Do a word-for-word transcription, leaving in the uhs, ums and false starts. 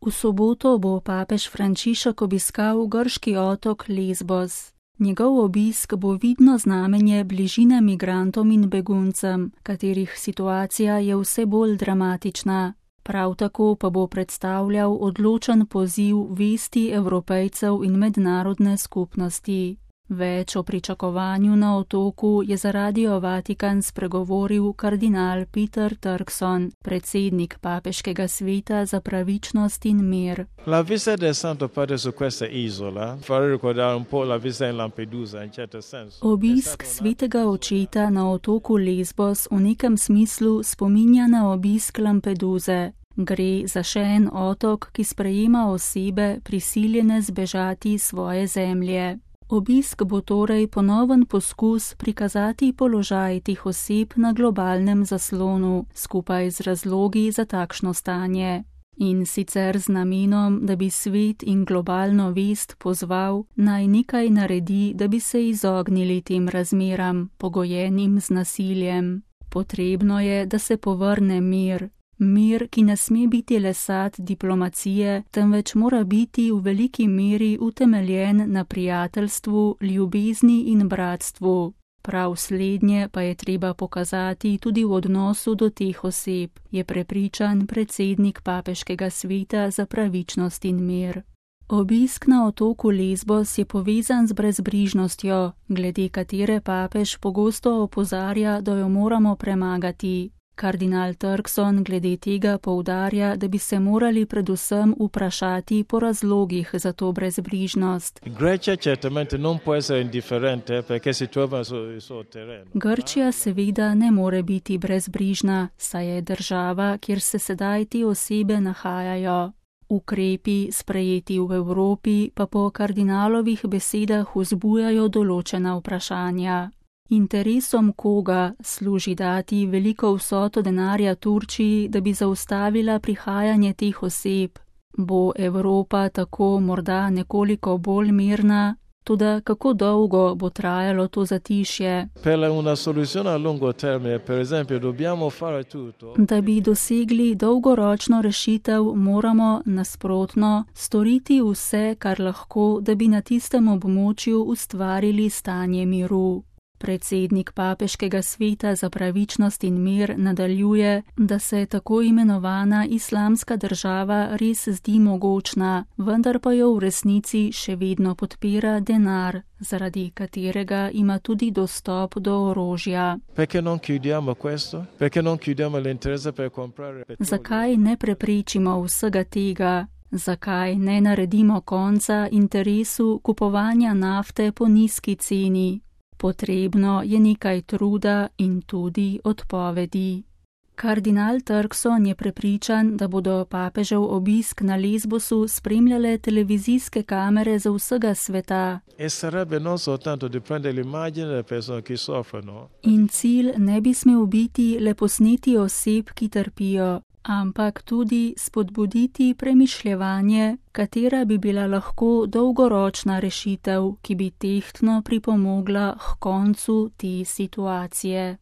V soboto bo papež Frančišek obiskal grški otok Lesbos. Njegov obisk bo vidno znamenje bližine migrantom in beguncem, katerih situacija je vse bolj dramatična. Prav tako pa bo predstavljal odločen poziv vesti Evropejcev in mednarodne skupnosti. Več o pričakovanju na otoku je za Radio Vatikan spregovoril kardinal Peter Turkson, predsednik papeškega sveta za pravičnost in mir. La visita del Santo Padre su questa isola fa ricordare un po' la visita in Lampedusa in certo senso. Obisk svetega očeta na otoku Lesbos v nekem smislu spominja na obisk Lampeduze. Gre za še en otok, ki sprejema osebe prisiljene zbežati svoje zemlje. Obisk bo torej ponoven poskus prikazati položaj teh oseb na globalnem zaslonu, skupaj z razlogi za takšno stanje. In sicer z namenom, da bi svet in globalno vest pozval, naj nekaj naredi, da bi se izognili tem razmeram, pogojenim z nasiljem. Potrebno je, da se povrne mir. Mir, ki ne sme biti le sad diplomacije, temveč mora biti v veliki meri utemeljen na prijateljstvu, ljubezni in bratstvu. Prav slednje pa je treba pokazati tudi v odnosu do teh oseb, je prepričan predsednik papeškega sveta za pravičnost in mir. Obisk na otoku Lesbos je povezan z brezbrižnostjo, glede katere papež pogosto opozarja, da jo moramo premagati. Kardinal Turkson glede tega poudarja, da bi se morali predvsem vprašati po razlogih za to brezbrižnost. Grčija seveda ne more biti brezbrižna, saj je država, kjer se sedaj te osebe nahajajo. Ukrepi, sprejeti v Evropi, pa po kardinalovih besedah vzbujajo določena vprašanja. Interesom koga služi dati veliko vsoto denarja Turčiji, da bi zaustavila prihajanje teh oseb? Bo Evropa tako morda nekoliko bolj mirna? Toda kako dolgo bo trajalo to zatišje? Da bi dosegli dolgoročno rešitev, moramo, nasprotno, storiti vse, kar lahko, da bi na tistem območju ustvarili stanje miru. Predsednik papeškega sveta za pravičnost in mir nadaljuje, da se tako imenovana islamska država res zdi mogočna, vendar pa jo v resnici še vedno podpira denar, zaradi katerega ima tudi dostop do orožja. Zakaj ne preprečimo vsega tega? Zakaj ne naredimo konca interesu kupovanja nafte po nizki ceni? Potrebno je nekaj truda in tudi odpovedi. Kardinal Turkson je prepričan, da bodo papežev obisk na Lesbosu spremljale televizijske kamere za vsega sveta. In cilj ne bi smel biti le posneti oseb, ki trpijo, ampak tudi spodbuditi premišljevanje, katera bi bila lahko dolgoročna rešitev, ki bi tehtno pripomogla k koncu te situacije.